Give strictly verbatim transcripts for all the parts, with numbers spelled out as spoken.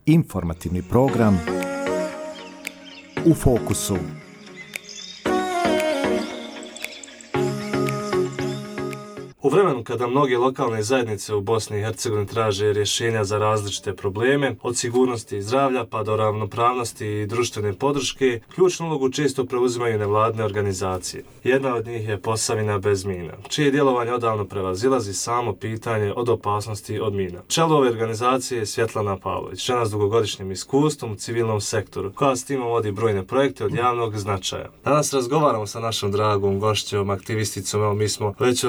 Informativni program U fokusu. U vremenu kada mnoge lokalne zajednice u Bosni i Hercegovini traže rješenja za različite probleme, od sigurnosti i zdravlja pa do ravnopravnosti i društvene podrške, ključnu ulogu često preuzimaju nevladine organizacije. Jedna od njih je Posavina bez mina, čije djelovanje odavno prevazilazi samo pitanje od opasnosti od mina. Čelo ove organizacije je Svjetlana Pavlović, žena s dugogodišnjim iskustvom u civilnom sektoru, koja s timom vodi brojne projekte od javnog značaja. Danas razgovaramo sa našom dragom gošćom, aktivisticom, evo mi smo već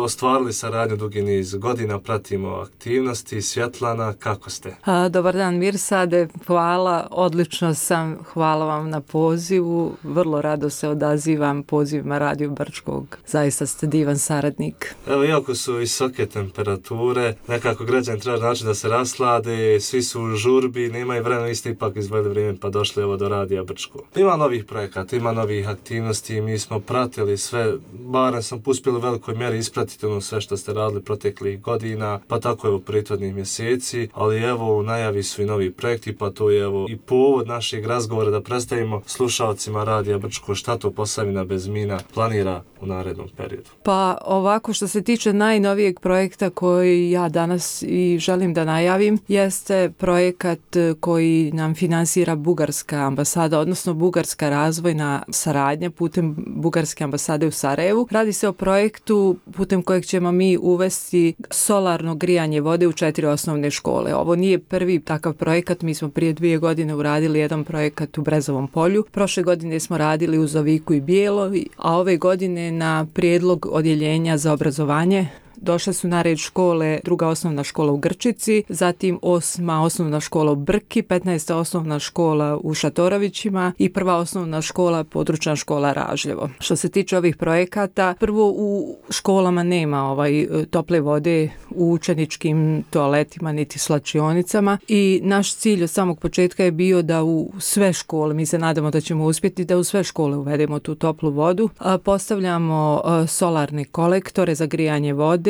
ostvarili saradnju dugi niz godina, pratimo aktivnosti. Svjetlana, kako ste? A, dobar dan Mirsade, hvala, odlično sam, hvala vam na pozivu, vrlo rado se odazivam pozivima Radio Brčkog, zaista ste divan saradnik. Evo, iako su visoke temperature, nekako građani traže način da se raslade, svi su u žurbi, nemaju vremena, vi ste ipak izveli vrijeme pa došli evo do Radija Brčkog. Ima novih projekata, ima novih aktivnosti, mi smo pratili sve, barem sam uspjeli u velikoj mjeri ispratiti ono sve što ste radili proteklih godina, pa tako evo prethodnih mjeseci, ali evo u najavi su i novi projekti, pa to je evo i povod našeg razgovora da predstavimo slušalcima Radija Brčko šta to Posavina bez mina planira u narednom periodu. Pa ovako, što se tiče najnovijeg projekta koji ja danas i želim da najavim, jeste projekat koji nam finansira Bugarska ambasada, odnosno Bugarska razvojna saradnja putem Bugarske ambasade u Sarajevu. Radi se o projektu putem kojeg ćemo mi uvesti solarno grijanje vode u četiri osnovne škole. Ovo nije prvi takav projekat, mi smo prije dvije godine uradili jedan projekat u Brezovom polju. Prošle godine smo radili u Zoviku i Bijelo, a ove godine na prijedlog odjeljenja za obrazovanje došle su na red škole, druga osnovna škola u Grčici, zatim osma osnovna škola u Brki, petnaesta osnovna škola u Šatorovićima i prva osnovna škola, područna škola Ražljevo. Što se tiče ovih projekata, prvo u školama nema ovaj tople vode u učeničkim toaletima niti slačionicama i naš cilj od samog početka je bio da u sve škole, mi se nadamo da ćemo uspjeti da u sve škole uvedemo tu toplu vodu, postavljamo solarne kolektore za grijanje vode.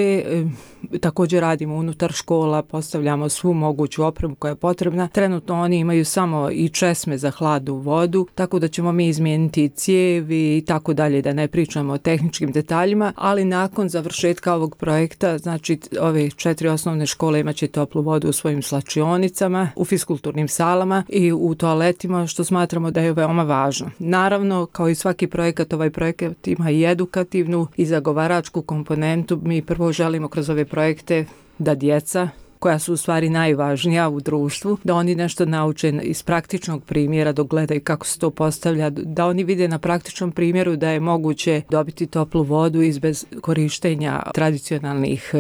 Također radimo unutar škola, postavljamo svu moguću opremu koja je potrebna. Trenutno oni imaju samo i česme za hladnu vodu, tako da ćemo mi izmijeniti cijevi i tako dalje, da ne pričamo o tehničkim detaljima, ali nakon završetka ovog projekta, znači ove četiri osnovne škole imat će toplu vodu u svojim slačionicama, u fiskulturnim salama i u toaletima, što smatramo da je veoma važno. Naravno, kao i svaki projekat, ovaj projekat ima i edukativnu i zagovaračku komponentu. Mi prvo želimo kroz ove projekte da djeca, koja su u stvari najvažnija u društvu, da oni nešto nauče iz praktičnog primjera, dok gledaju kako se to postavlja, da oni vide na praktičnom primjeru da je moguće dobiti toplu vodu iz bez korištenja tradicionalnih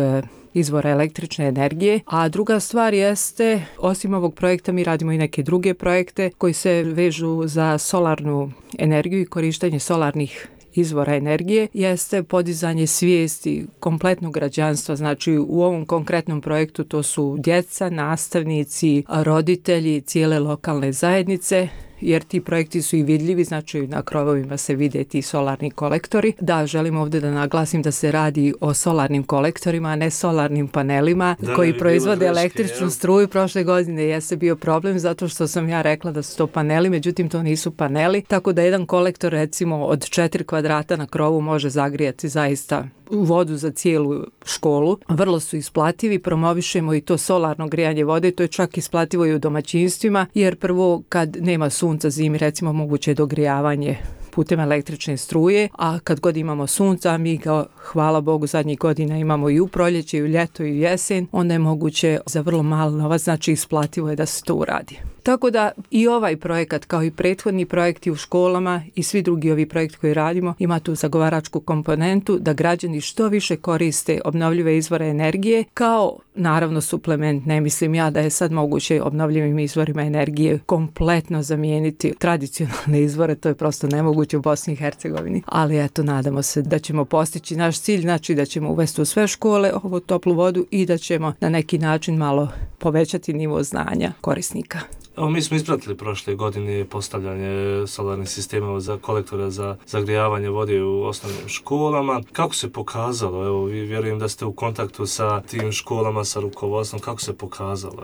izvora električne energije. A druga stvar jeste, osim ovog projekta mi radimo i neke druge projekte koji se vežu za solarnu energiju i korištenje solarnih izvora energije, jeste podizanje svijesti kompletnog građanstva. Znači u ovom konkretnom projektu to su djeca, nastavnici, roditelji, cijele lokalne zajednice, jer ti projekti su i vidljivi, znači na krovovima se vide ti solarni kolektori. Da, želim ovdje da naglasim da se radi o solarnim kolektorima, a ne solarnim panelima da, koji proizvode električnu struju. Prošle godine jeste bio problem zato što sam ja rekla da su to paneli, međutim to nisu paneli, tako da jedan kolektor recimo od četiri kvadrata na krovu može zagrijati zaista vodu za cijelu školu. Vrlo su isplativi, promovišemo i to solarno grijanje vode, to je čak isplativo i u domaćinstvima, jer prvo kad nema sunca zimi, recimo moguće je dogrijavanje putem električne struje, a kad god imamo sunca, mi ga, hvala Bogu, zadnjih godina imamo i u proljeće, i u ljeto, i u jesen, onda je moguće za vrlo malo novac, znači isplativo je da se to uradi. Tako da i ovaj projekat, kao i prethodni projekti u školama i svi drugi ovi projekti koji radimo, ima tu zagovaračku komponentu da građani što više koriste obnovljive izvore energije, kao naravno suplement. Ne mislim ja da je sad moguće obnovljivim izvorima energije kompletno zamijeniti tradicionalne izvore, to je prosto nemoguće u Bosni i Hercegovini. Ali eto, nadamo se da ćemo postići naš cilj, znači da ćemo uvesti u sve škole ovu toplu vodu i da ćemo na neki način malo povećati nivo znanja korisnika. Evo, mi smo ispratili prošle godine postavljanje solarnih sistema za kolektora za zagrijavanje vode u osnovnim školama. Kako se pokazalo? Evo, vi vjerujem da ste u kontaktu sa tim školama, sa rukovodstvom. Kako se pokazalo?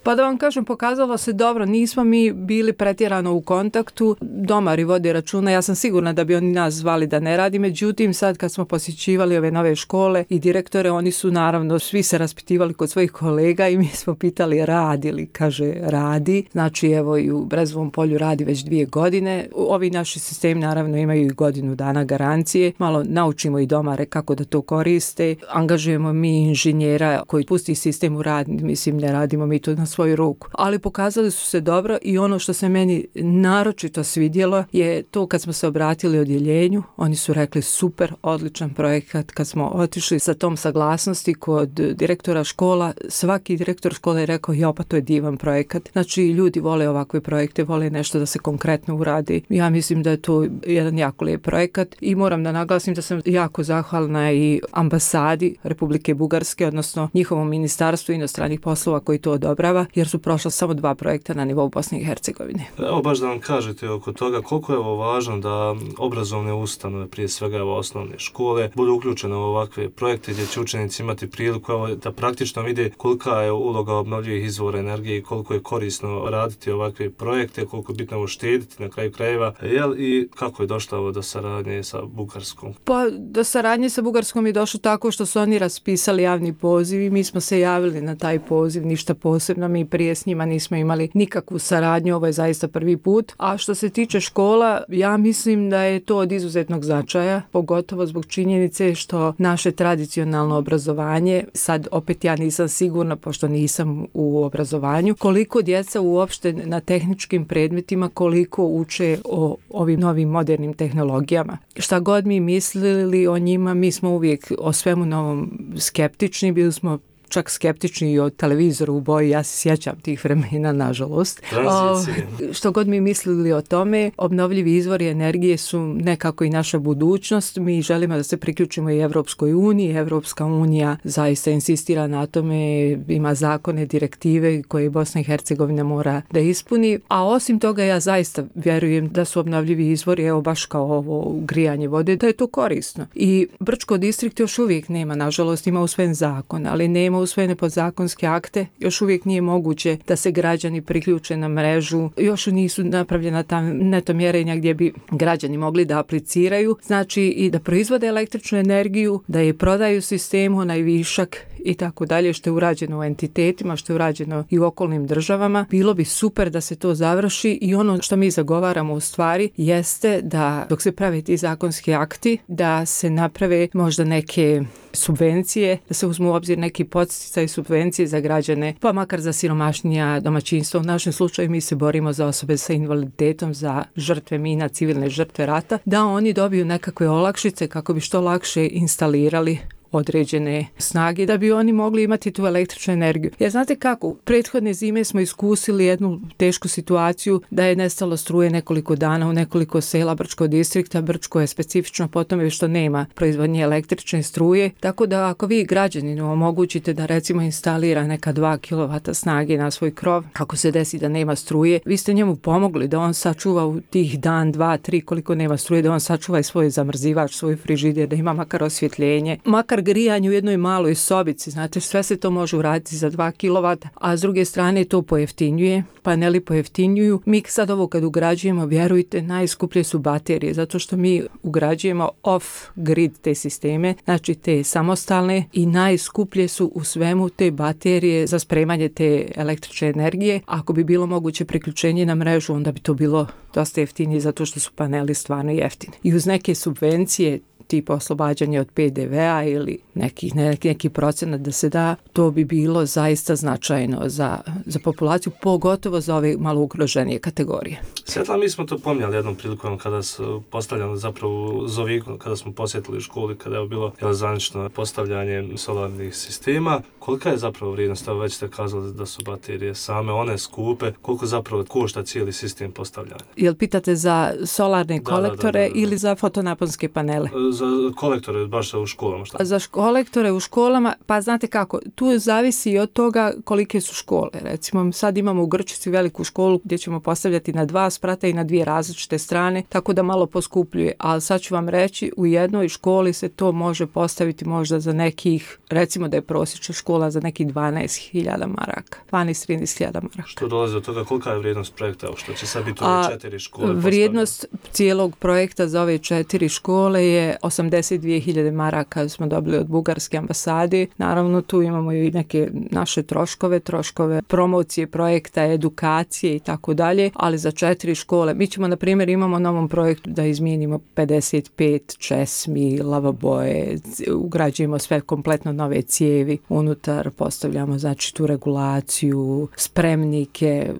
Pa da vam kažem, pokazalo se dobro, nismo mi bili pretjerano u kontaktu, domari vode računa, ja sam sigurna da bi oni nas zvali da ne radi, međutim sad kad smo posjećivali ove nove škole i direktore, oni su naravno svi se raspitivali kod svojih kolega i mi smo pitali radi li, kaže radi, znači evo i u Brezovom polju radi već dvije godine, ovi naši sistemi naravno imaju i godinu dana garancije, malo naučimo i domare kako da to koriste, angažujemo mi inženjera koji pusti sistem u rad, mislim ne radimo mi to na svoju ruku, ali pokazali su se dobro i ono što se meni naročito svidjelo je to kad smo se obratili odjeljenju, oni su rekli super, odličan projekat, kad smo otišli sa tom saglasnosti kod direktora škola, svaki direktor škole je rekao jo pa to je divan projekat, znači ljudi vole ovakve projekte, vole nešto da se konkretno uradi, ja mislim da je to jedan jako lijep projekat i moram da naglasim da sam jako zahvalna i ambasadi Republike Bugarske, odnosno njihovom ministarstvu inostranih poslova koji to odobrava, jer su prošla samo dva projekta na nivou Bosne i Hercegovine. Evo baš da vam kažete oko toga koliko je ovo važno da obrazovne ustanove, prije svega evo osnovne škole, budu uključene u ovakve projekte gdje će učenici imati priliku evo, da praktično vide kolika je uloga obnovljivih izvora energije i koliko je korisno raditi ovakve projekte, koliko je bitno uštediti na kraju krajeva, jel i kako je došlo ovo do saradnje sa Bugarskom? Pa do saradnje sa Bugarskom je došlo tako što su oni raspisali javni poziv i mi smo se javili na taj poziv, ništa posebno, mi prije s njima nismo imali nikakvu saradnju, ovo je zaista prvi put. A što se tiče škola, ja mislim da je to od izuzetnog značaja, pogotovo zbog činjenice što naše tradicionalno obrazovanje, sad opet ja nisam sigurna, pošto nisam u obrazovanju, koliko djeca uopšte na tehničkim predmetima, koliko uče o ovim novim modernim tehnologijama. Šta god mi mislili o njima, mi smo uvijek o svemu novom skeptični, bili smo čak skeptični i o televizoru u boji, ja se sjećam tih vremena, nažalost. O, što god mi mislili o tome, obnovljivi izvori energije su nekako i naša budućnost. Mi želimo da se priključimo i Evropskoj uniji. Evropska unija zaista insistira na tome, ima zakone, direktive koje Bosna i Hercegovina mora da ispuni. A osim toga, ja zaista vjerujem da su obnovljivi izvori, evo baš kao ovo grijanje vode, da je to korisno. I Brčko distrikt još uvijek nema, nažalost, ima usvojen zakon, ali nema usvojene podzakonske akte, još uvijek nije moguće da se građani priključe na mrežu, još nisu napravljena ta neto mjerenja gdje bi građani mogli da apliciraju, znači i da proizvode električnu energiju, da je prodaju sistemu, onaj višak i tako dalje, što je urađeno u entitetima, što je urađeno i u okolnim državama. Bilo bi super da se to završi i ono što mi zagovaramo u stvari jeste da dok se prave ti zakonski akti, da se naprave možda neke subvencije, da se uzmu u obzir neki podsticaj i subvencije za građane, pa makar za siromašnija domaćinstva. U našem slučaju mi se borimo za osobe sa invaliditetom, za žrtve mina, civilne žrtve rata, da oni dobiju nekakve olakšice kako bi što lakše instalirali određene snage da bi oni mogli imati tu električnu energiju. Jer znate kako, prethodne zime smo iskusili jednu tešku situaciju da je nestalo struje nekoliko dana u nekoliko sela Brčkog distrikta. Brčko je specifično po tome što nema proizvodnje električne struje, tako da ako vi građaninu omogućite da recimo instalira neka dva kilovata snage na svoj krov, ako se desi da nema struje, vi ste njemu pomogli da on sačuva u tih dan, dva, tri koliko nema struje, da on sačuva i svoj zamrzivač, svoj frižider, da ima makar osvjetljenje, makar grijanje u jednoj maloj sobici, znate, sve se to može uraditi za dva kilovata, a s druge strane to pojeftinjuje, paneli pojeftinjuju. Mi sad ovo kad ugrađujemo, vjerujte, najskuplje su baterije, zato što mi ugrađujemo off-grid te sisteme, znači te samostalne, i najskuplje su u svemu te baterije za spremanje te električne energije. Ako bi bilo moguće priključenje na mrežu, onda bi to bilo dosta jeftinije, zato što su paneli stvarno jeftini. I uz neke subvencije, tipa oslobađanje od pe de ve a ili neki, neki, neki procenat da se da, to bi bilo zaista značajno za, za populaciju, pogotovo za ove malo ugroženije kategorije. Svjetla, mi smo to pomnjali jednom prilikom kada su postavljali zapravo Zoviku, kada smo posjetili školi, kada je bilo zvanično postavljanje solarnih sistema. Kolika je zapravo vrijednost? Već ste kazali da su baterije same, one skupe, koliko zapravo košta cijeli sistem postavljanja? Jel pitate za solarne da, kolektore da, da, da, da. ili za fotonaponske panele? za kolektore baš u školama? Šta? Za kolektore u školama, pa znate kako, tu zavisi i od toga kolike su škole. Recimo, sad imamo u Grčici veliku školu gdje ćemo postavljati na dva sprata i na dvije različite strane, tako da malo poskupljuje. Ali sad ću vam reći, u jednoj školi se to može postaviti možda za nekih, recimo da je prosječna škola za nekih dvanaest hiljada maraka. dvanaest do trinaest hiljada maraka. Što dolazi od toga, kolika je vrijednost projekta, što će sad biti ove četiri škole? Vrijednost cijelog projekta za ove četiri škole je osamdeset dvije hiljade maraka smo dobili od bugarske ambasade. Naravno, tu imamo i neke naše troškove, troškove promocije projekta, edukacije i tako dalje, ali za četiri škole. Mi ćemo, na primjer, imamo na ovom projektu da izmijenimo pedeset pet česmi, lavaboje, ugrađujemo sve kompletno nove cijevi unutar, postavljamo znači tu regulaciju, spremnike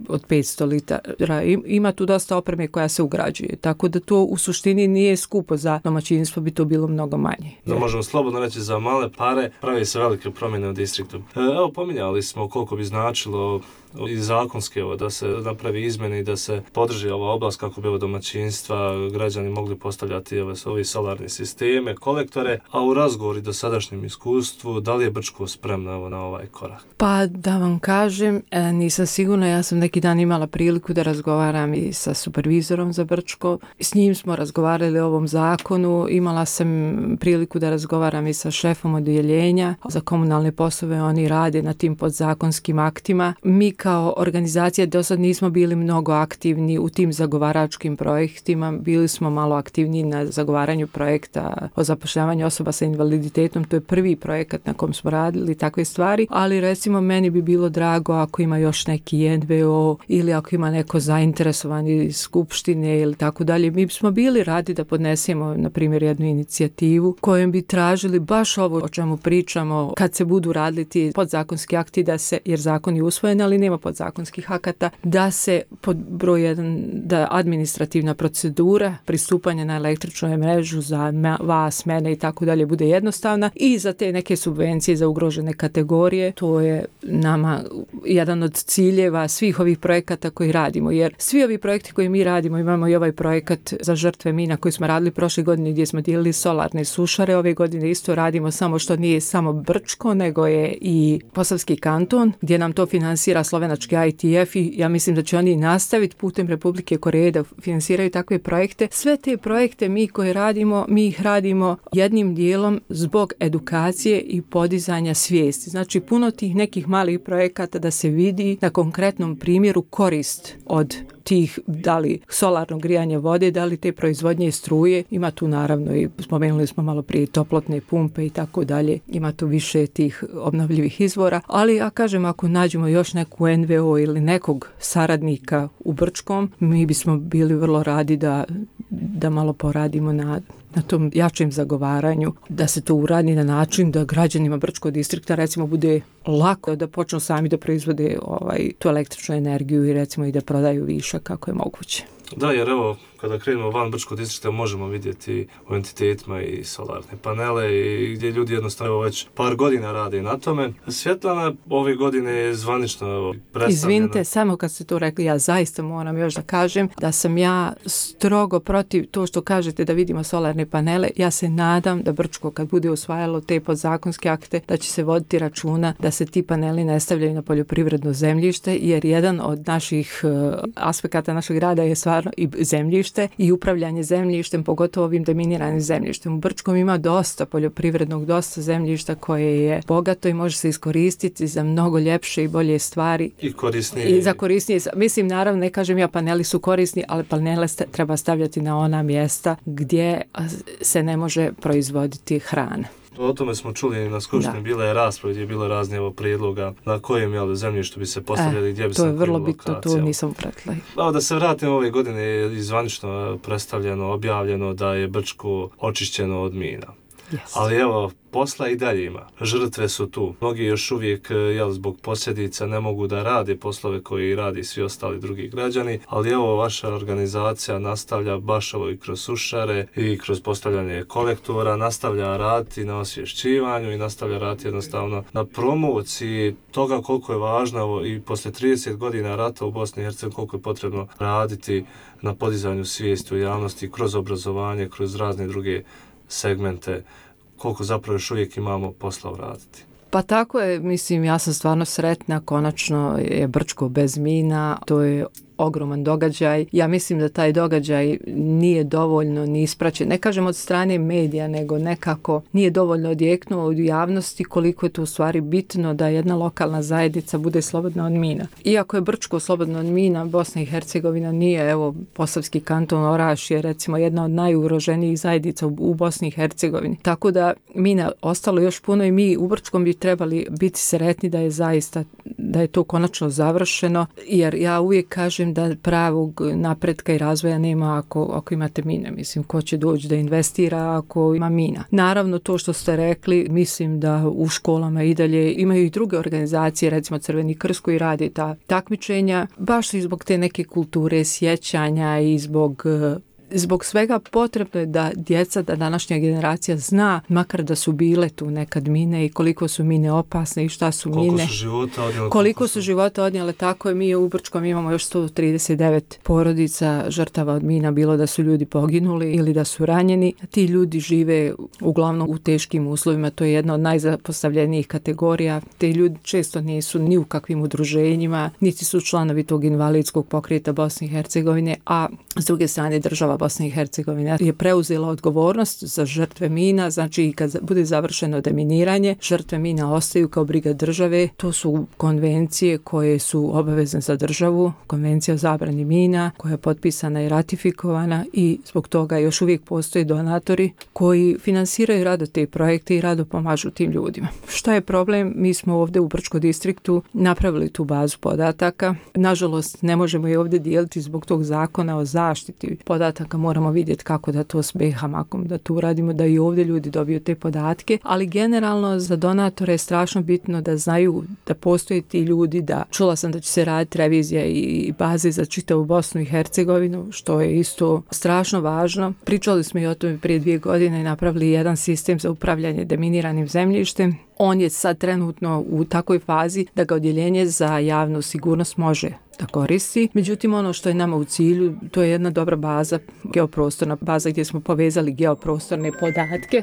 od petsto litara. Ima tu dosta opreme koja se ugrađuje, tako da to u suštini nije skupo, za domaćinstvo bi to bilo mnogo manje. Da možemo slobodno reći, za male pare pravi se velike promjene u distriktu. Evo, pominjali smo koliko bi značilo i zakonski ovo, da se napravi izmjene i da se podrži ova oblast kako bi ovo domaćinstva, građani mogli postavljati ove, ovi solarne sisteme, kolektore, a u razgovori do sadašnjem iskustvu, da li je Brčko spremno na ovaj korak? Pa da vam kažem, nisam sigurna, ja sam neki dan imala priliku da razgovaram i sa supervizorom za Brčko, s njim smo razgovarali o ovom zakonu, imala sam priliku da razgovaram i sa šefom odjeljenja za komunalne poslove, oni rade na tim podzakonskim aktima. Mi kao organizacija do sad nismo bili mnogo aktivni u tim zagovaračkim projektima, bili smo malo aktivniji na zagovaranju projekta o zapošljavanju osoba sa invaliditetom, to je prvi projekat na kom smo radili takve stvari, ali recimo meni bi bilo drago ako ima još neki en ve o ili ako ima neko zainteresovani iz skupštine ili tako dalje, mi bismo bili radi da podnesemo na primjer jednu inicijativu kojom bi tražili baš ovo o čemu pričamo kad se budu radili ti podzakonski akti, da se, jer zakon je usvojen, ali nema podzakonskih akata, da se pod broj jedan, da administrativna procedura pristupanja na električnu mrežu za vas, mene i tako dalje bude jednostavna i za te neke subvencije za ugrožene kategorije. To je nama jedan od ciljeva svih ovih projekata koji radimo, jer svi ovi projekti koji mi radimo, imamo i ovaj projekat za žrtve mina koji smo radili prošle godine gdje smo dijelili solarne sušare, ove godine isto radimo, samo što nije samo Brčko, nego je i Posavski kanton gdje nam to finansira slovenački I T F i ja mislim da će oni nastaviti putem Republike Koreje da finansiraju takve projekte. Sve te projekte mi koje radimo, mi ih radimo jednim dijelom zbog edukacije i podizanja svijesti. Znači puno tih nekih malih projekata da se vidi na konkretnom primjeru korist od tih, da li solarnog grijanja vode, da li te proizvodnje struje, ima tu naravno i spomenuli smo malo prije toplotne pumpe i tako dalje, ima tu više tih obnovljivih izvora, ali ja kažem ako nađemo još neku en ve o ili nekog saradnika u Brčkom, mi bismo bili vrlo radi da, da malo poradimo na na tom jačem zagovaranju, da se to uradi na način da građanima Brčkog distrikta recimo bude lako da počnu sami da proizvode ovaj, tu električnu energiju i recimo i da prodaju višak kako je moguće. Da, jer evo, kada krenemo van Brčkog distrikta možemo vidjeti u entitetima i solarne panele i gdje ljudi jednostavno već par godina rade na tome. Svjetlana ove godine je zvanično predstavljena. Izvinite, samo kad ste to rekli, ja zaista moram još da kažem da sam ja strogo protiv to što kažete da vidimo solarne panele. Ja se nadam da Brčko kad bude usvajalo te podzakonske akte da će se voditi računa da se ti paneli ne stavljaju na poljoprivredno zemljište, jer jedan od naših uh, aspekata našeg rada je stvarno i zemljište i upravljanje zemljištem, pogotovo ovim deminiranim zemljištem. U Brčkom ima dosta poljoprivrednog, dosta zemljišta koje je bogato i može se iskoristiti za mnogo ljepše i bolje stvari. I korisnije. I za korisnije. Mislim, naravno, ne kažem ja paneli su korisni, ali panele treba stavljati na ona mjesta gdje se ne može proizvoditi hrana. O tome smo čuli na skupštini, bila je rasprava gdje je bilo razne evo prijedloga na kojem jel, zemljištu bi se postavljali, e, gdje bi se to je vrlo bitno, to nisam pratila. Evo da se vratim, ove godine je izvanično predstavljeno, objavljeno da je Brčko očišćeno od mina. Yes. Ali evo, posla i dalje ima. Žrtve su tu. Mnogi još uvijek, jel, zbog posljedica ne mogu da rade poslove koji radi svi ostali drugi građani, ali evo, vaša organizacija nastavlja baš ovo i kroz sušare i kroz postavljanje kolektora, nastavlja raditi na osvješćivanju i nastavlja raditi jednostavno na promociji toga koliko je važno i posle trideset godina rata u Bosni i Hercegovini koliko je potrebno raditi na podizanju svijesti u javnosti kroz obrazovanje, kroz razne druge segmente, koliko zapravo još uvijek imamo posla uraditi. Pa tako je, mislim, ja sam stvarno sretna, konačno je Brčko bez mina, to je ogroman događaj. Ja mislim da taj događaj nije dovoljno ni ispraćen, ne kažem od strane medija, nego nekako nije dovoljno odjeknuo u javnosti koliko je to u stvari bitno da jedna lokalna zajednica bude slobodna od mina. Iako je Brčko slobodno od mina, Bosna i Hercegovina nije, evo, Posavski kanton Oraš je recimo jedna od najugroženijih zajednica u, u Bosni i Hercegovini. Tako da mina ostalo još puno i mi u Brčkom bi trebali biti sretni da je zaista, da je to konačno završeno, jer ja uvijek kažem da pravog napretka i razvoja nema ako, ako imate mine. Mislim, ko će doći da investira ako ima mina. Naravno, to što ste rekli, mislim da u školama i dalje imaju i druge organizacije, recimo Crveni krst koji radi ta takmičenja, baš i zbog te neke kulture sjećanja i zbog Zbog svega potrebno je da djeca, da današnja generacija zna, makar da su bile tu nekad mine i koliko su mine opasne i šta su koliko mine. Su života odnijele, koliko su života odnijele, tako je. Mi u Brčkom imamo još sto trideset devet porodica žrtava od mina, bilo da su ljudi poginuli ili da su ranjeni. Ti ljudi žive uglavnom u teškim uslovima, to je jedna od najzapostavljenijih kategorija. Te ljudi često nisu ni u kakvim udruženjima, niti su članovi tog invalidskog pokreta Bosne i Hercegovine, a s druge strane država Bosna i Hercegovina je preuzela odgovornost za žrtve mina, znači kad bude završeno deminiranje, žrtve mina ostaju kao briga države. To su konvencije koje su obavezne za državu, konvencija o zabrani mina koja je potpisana i ratifikovana i zbog toga još uvijek postoje donatori koji finansiraju rado te projekte i rado pomažu tim ljudima. Šta je problem? Mi smo ovdje u Brčkom distriktu napravili tu bazu podataka. Nažalost, ne možemo je ovdje dijeliti zbog tog zakona o zaštiti podataka. Moramo vidjeti kako da to s B H M-om da to uradimo, da i ovdje ljudi dobiju te podatke, ali generalno za donatore je strašno bitno da znaju da postoje ti ljudi, da čula sam da će se raditi revizija i baze za čitavu Bosnu i Hercegovinu, što je isto strašno važno. Pričali smo i o tome prije dvije godine i napravili jedan sistem za upravljanje deminiranim zemljištem. On je sad trenutno u takvoj fazi da ga odjeljenje za javnu sigurnost može da koristi. Međutim, ono što je nama u cilju, to je jedna dobra baza, geoprostorna baza gdje smo povezali geoprostorne podatke,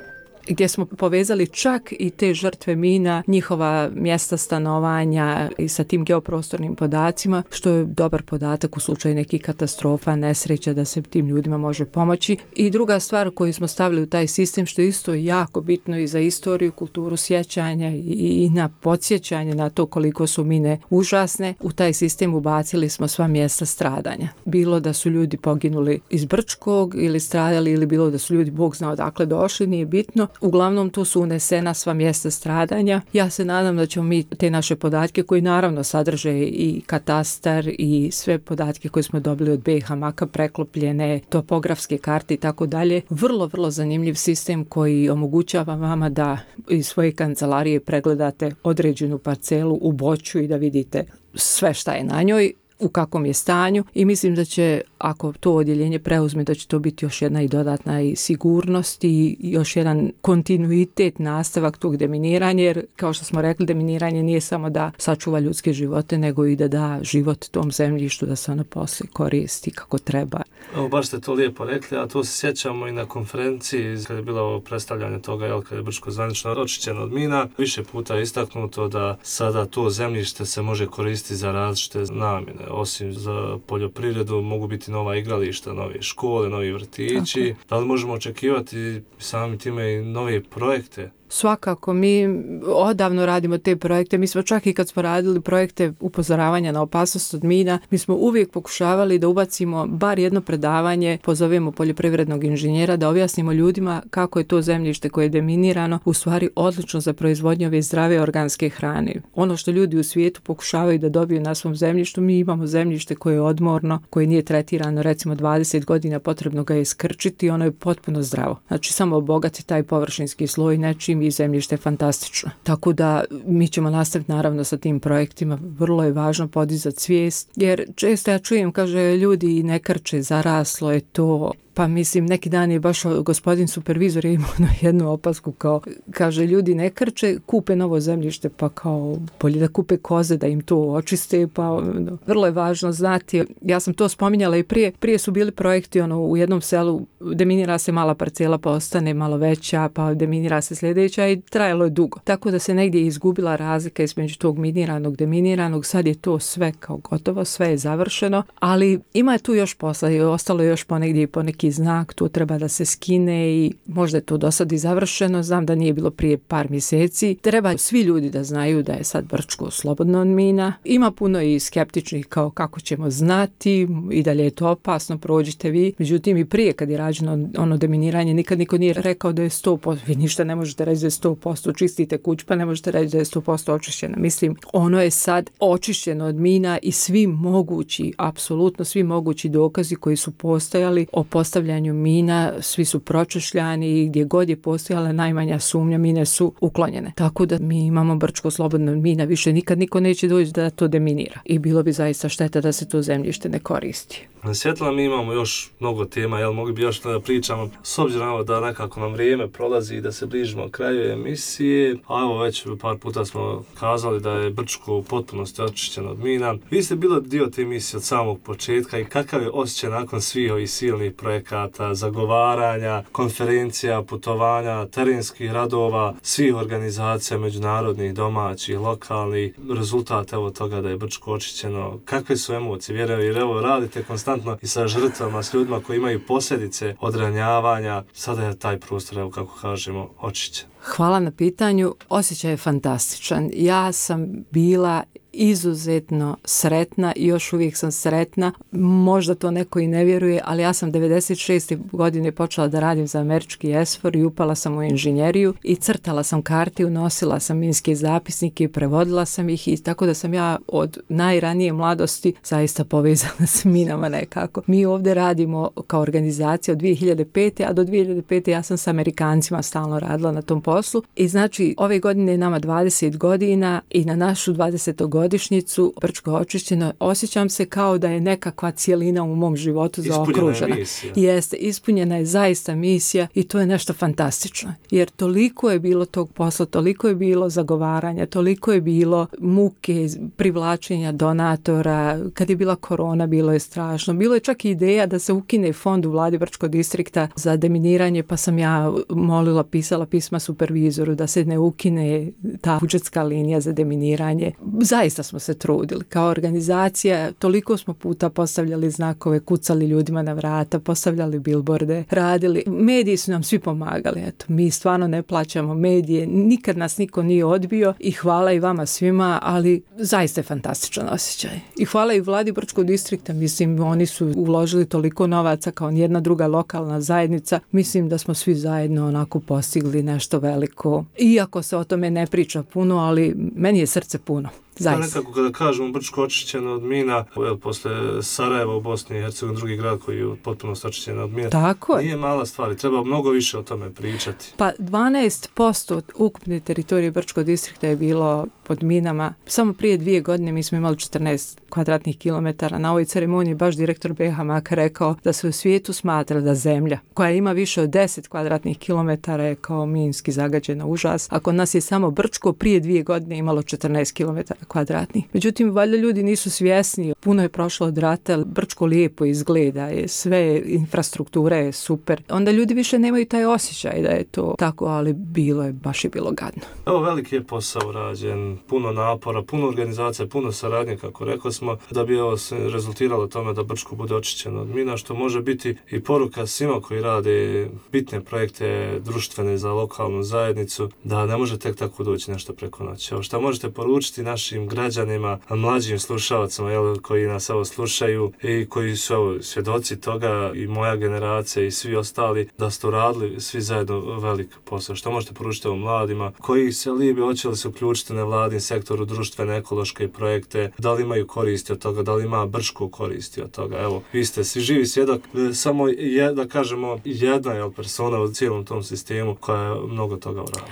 gdje smo povezali čak i te žrtve mina, njihova mjesta stanovanja i sa tim geoprostornim podacima, što je dobar podatak u slučaju nekih katastrofa, nesreća, da se tim ljudima može pomoći. I druga stvar koju smo stavili u taj sistem, što je isto jako bitno i za istoriju, kulturu sjećanja i na podsjećanje na to koliko su mine užasne, u taj sistem ubacili smo sva mjesta stradanja. Bilo da su ljudi poginuli iz Brčkog ili stradali, ili bilo da su ljudi, Bog zna odakle došli, nije bitno. Uglavnom tu su unesena sva mjesta stradanja. Ja se nadam da ćemo mi te naše podatke, koji naravno sadrže i katastar i sve podatke koje smo dobili od B H M-a, preklopljene, topografske karte i tako dalje, vrlo, vrlo zanimljiv sistem koji omogućava vama da iz svoje kancelarije pregledate određenu parcelu u Boću i da vidite sve šta je na njoj, u kakvom je stanju, i mislim da će, ako to odjeljenje preuzme, da će to biti još jedna i dodatna i sigurnost i još jedan kontinuitet, nastavak tog deminiranja, jer kao što smo rekli, deminiranje nije samo da sačuva ljudske živote, nego i da da život tom zemljištu, da se ono poslije koristi kako treba. Evo, baš ste to lijepo rekli, a to se sjećamo i na konferenciji kada je bilo predstavljanje toga, jel, kada je Brčko zvanično očišćeno od mina. Više puta je istaknuto da sada to zemljište se može koristiti za različite namjene. Osim za poljoprivredu mogu biti nova igrališta, nove škole, novi vrtići. Tako. Da li možemo očekivati sami time i nove projekte? Svakako, mi odavno radimo te projekte. Mi smo čak i kad smo radili projekte upozoravanja na opasnost od mina, mi smo uvijek pokušavali da ubacimo bar jedno predavanje, pozovemo poljoprivrednog inženjera da objasnimo ljudima kako je to zemljište koje je deminirano u stvari odlično za proizvodnju ove zdrave organske hrane. Ono što ljudi u svijetu pokušavaju da dobiju na svom zemljištu, mi imamo zemljište koje je odmorno, koje nije tretirano recimo dvadeset godina, potrebno ga je iskrčiti, ono je potpuno zdravo. Znači samo obogati taj površinski sloj nečim i zemljište je fantastično. Tako da mi ćemo nastaviti naravno sa tim projektima. Vrlo je važno podizati svijest, jer često ja čujem, kaže, ljudi ne krče, zaraslo je to. Pa mislim, neki dan je baš gospodin supervizor je imao jednu opasku kao, kaže, ljudi ne krče, kupe novo zemljište, pa kao bolje da kupe koze, da im to očiste, pa no. Vrlo je važno znati, ja sam to spominjala i prije, prije su bili projekti ono, u jednom selu, deminira se mala parcela, pa ostane malo veća, pa deminira se sljedeća i trajalo je dugo. Tako da se negdje izgubila razlika između tog miniranog, deminiranog, sad je to sve kao gotovo, sve je završeno, ali ima je tu još posla i ostalo je još ponegdje i poneki znak, tu treba da se skine i možda je to do sad i završeno, znam da nije bilo prije par mjeseci. Treba svi ljudi da znaju da je sad Brčko slobodno od mina. Ima puno i skeptičnih kao kako ćemo znati i dalje je to opasno, prođite vi. Međutim i prije kad je rađeno ono deminiranje, nikad niko nije rekao da je sto posto, vi ništa ne možete reći da je sto posto, čistite kuć pa ne možete reći da je sto posto očišćena. Mislim, ono je sad očišćeno od mina i svi mogući, apsolutno svi mogući dokazi koji su postojali o postavljanju mina, svi su pročešljani i gdje god je postojala najmanja sumnja, mine su uklonjene. Tako da mi imamo Brčko slobodno od mina, više nikad niko neće doći da to deminira. I bilo bi zaista šteta da se to zemljište ne koristi. Na Svjetla mi imamo još mnogo tema, jel mogli bi još da pričamo, s obzirom da nekako nam vrijeme prolazi i da se bližimo kraju emisije, a evo već par puta smo kazali da je Brčko u potpunosti očišćeno od mina. Vi ste bili dio te emisije od samog početka i kakav je osjećaj nakon svih ovih silnih projekata, zagovaranja, konferencija, putovanja, terenskih radova, svih organizacija međunarodnih, domaćih, lokalnih, rezultat evo toga da je Brčko očišćeno, kakve su emocije, vjerujem, jer evo radite konstantno i sa žrtvama, s ljudima koji imaju posljedice od ranjavanja, sada je taj prostor, evo kako kažemo, očišćen. Hvala na pitanju, osjećaj je fantastičan. Ja sam bila izuzetno sretna i još uvijek sam sretna. Možda to neko i ne vjeruje, ali ja sam devedeset šeste godine počela da radim za američki ESFOR i upala sam u inženjeriju i crtala sam karte, unosila sam minske zapisnike i prevodila sam ih i tako da sam ja od najranije mladosti zaista povezana s minama nekako. Mi ovdje radimo kao organizacija od dvije hiljade pete. a do dvije hiljade pete. ja sam s Amerikancima stalno radila na tom poslu i znači ove godine je nama dvadeset godina i na našu dvadesetu godišnjicu Brčko očišćeno, osjećam se kao da je nekakva cijelina u mom životu zaokružena. Ispunjena je misija. Jeste, ispunjena je zaista misija i to je nešto fantastično. Jer toliko je bilo tog posla, toliko je bilo zagovaranja, toliko je bilo muke, privlačenja donatora. Kad je bila korona, bilo je strašno. Bilo je čak i ideja da se ukine fond u vladi Brčkog distrikta za deminiranje, pa sam ja molila, pisala pisma supervizoru da se ne ukine ta budžetska linija za deminiranje. Zaista smo se trudili. Kao organizacija toliko smo puta postavljali znakove, kucali ljudima na vrata, postavljali bilborde, radili. Mediji su nam svi pomagali. Eto, mi stvarno ne plaćamo medije, nikad nas niko nije odbio i hvala i vama svima, ali zaista je fantastičan osjećaj. I hvala i vladi Brčkog distrikta, mislim, oni su uložili toliko novaca kao nijedna druga lokalna zajednica. Mislim da smo svi zajedno onako postigli nešto veliko. Iako se o tome ne priča puno, ali meni je srce puno. Da, nekako kada kažemo Brčko očišćeno od mina, jel, posle Sarajeva u Bosni i Hercegovini, drugi grad koji je potpuno očišćen od mina, tako nije mala stvar, treba mnogo više o tome pričati. Pa dvanaest posto ukupne teritorije Brčkog distrikta je bilo pod minama. Samo prije dvije godine mi smo imali četrnaest kvadratnih kilometara. Na ovoj ceremoniji baš direktor B H Maka rekao da se u svijetu smatra da zemlja koja ima više od deset kvadratnih kilometara je kao minski zagađena, užas. A kod nas je samo Brčko prije dvije godine imalo četrnaest kilometara kvadratnih. Međutim, valjda ljudi nisu svjesni. Puno je prošlo od rata, Brčko lijepo izgleda, je sve, infrastruktura je super. Onda ljudi više nemaju taj osjećaj da je to tako, ali bilo je, baš je bilo gadno. Evo, veliki je posao rađen, puno napora, puno organizacija, puno saradnje, kako rekli smo, da bi ovo se rezultiralo tome da Brčko bude očišćeno od mina, što može biti i poruka svima koji rade bitne projekte društvene za lokalnu zajednicu, da ne može tek tako doći nešto preko noći. Evo, šta možete poručiti našim građanima, mlađim slušalcima, jel, koji nas evo slušaju i koji su evo, svjedoci toga, i moja generacija i svi ostali, da ste radili svi zajedno velik posao. Što možete poručiti ovom mladima koji se libi, hoće li se uključiti na vladin sektoru, društvene, ekološke projekte, da li imaju koristi od toga, da li ima Brčko koristi od toga. Evo, vi ste svi živi svjedok, samo je, da kažemo, jedna jel, persona u cijelom tom sistemu koja je mnogo toga uradila.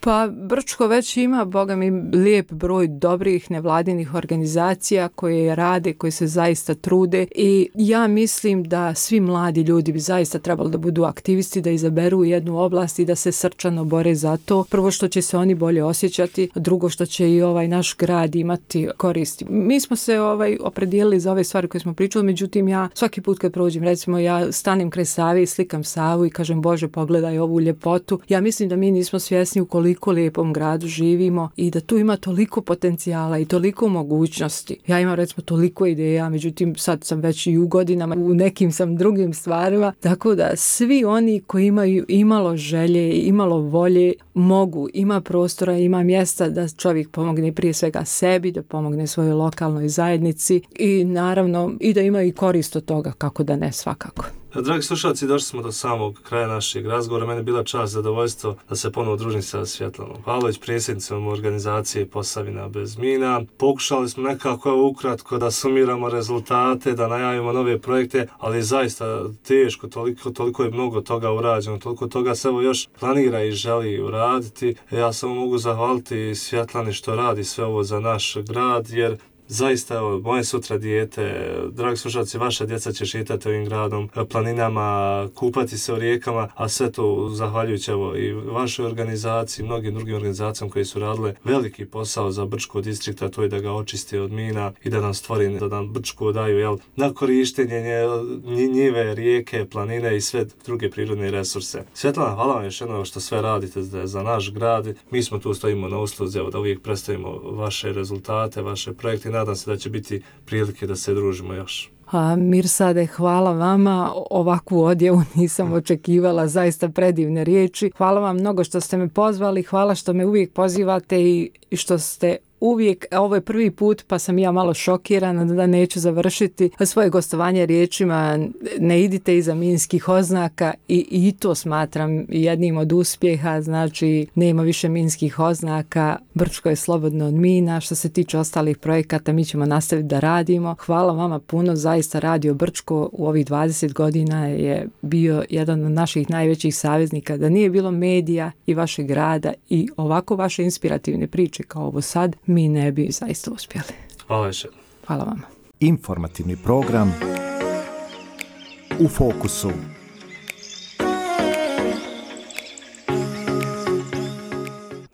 Pa Brčko već ima, boga mi, lijep broj dobrih nevladinih organizacija koje rade, koje se zaista trude i ja mislim da svi mladi ljudi bi zaista trebali da budu aktivisti, da izaberu jednu oblast i da se srčano bore za to. Prvo što će se oni bolje osjećati, drugo što će i ovaj naš grad imati koristi. Mi smo se ovaj opredijelili za ove stvari koje smo pričali, međutim ja svaki put kad prođem, recimo ja stanem kraj Save i slikam Savu i kažem Bože pogledaj ovu ljepotu. Ja mislim da mi nismo svjesni u koliko lijepom gradu živimo i da tu ima toliko potencijala i toliko mogućnosti. Ja imam recimo toliko ideja, međutim sad sam već i u godinama, u nekim sam drugim stvarima, tako da svi oni koji imaju imalo želje i imalo volje mogu, ima prostora, ima mjesta da čovjek pomogne prije svega sebi, da pomogne svojoj lokalnoj zajednici i naravno i da ima i korist od toga, kako da ne, svakako. Dragi slušalci, došli smo do samog kraja našeg razgovora. Meni je bila čast, zadovoljstvo da se ponovo družim sa Svjetlanom Pavlović, predsjednicom organizacije Posavina bez mina. Pokušali smo nekako ukratko da sumiramo rezultate, da najavimo nove projekte, ali zaista teško, toliko, toliko je mnogo toga urađeno, toliko toga se evo još planira i želi uraditi. Ja samo mogu zahvaliti Svjetlani što radi sve ovo za naš grad, jer zaista, evo, moje sutra dijete, dragi slušalci, vaša djeca će šetati ovim gradom, planinama, kupati se u rijekama, a sve to zahvaljujući evo i vašoj organizaciji, mnogim drugim organizacijama koje su radile veliki posao za Brčko distrikta, to je da ga očiste od mina i da nam stvori, da nam Brčko daju jel, na korištenje njive, rijeke, planine i sve druge prirodne resurse. Svjetlana, hvala vam još jednom što sve radite za naš grad. Mi smo tu, stojimo na usluzi, evo, da uvijek predstavimo vaše rezultate, vaše projekte. Nadam se da će biti prilike da se družimo još. A, Mirsade, hvala vama, ovakvu odjevu nisam očekivala, zaista predivne riječi. Hvala vam mnogo što ste me pozvali, hvala što me uvijek pozivate i što ste uvijek, ovo je prvi put pa sam ja malo šokirana da neću završiti svoje gostovanje riječima ne idite iza minskih oznaka i, i to smatram jednim od uspjeha, znači nema više minskih oznaka, Brčko je slobodno od mina. Što se tiče ostalih projekata mi ćemo nastaviti da radimo. Hvala vama puno, zaista Radio Brčko u ovih dvadeset godina je bio jedan od naših najvećih saveznika. Da nije bilo medija i vašeg grada i ovako vaše inspirativne priče kao ovo sad, mi ne bi zaista uspjeli. Hvala još jednom. Hvala vama. Informativni program U fokusu.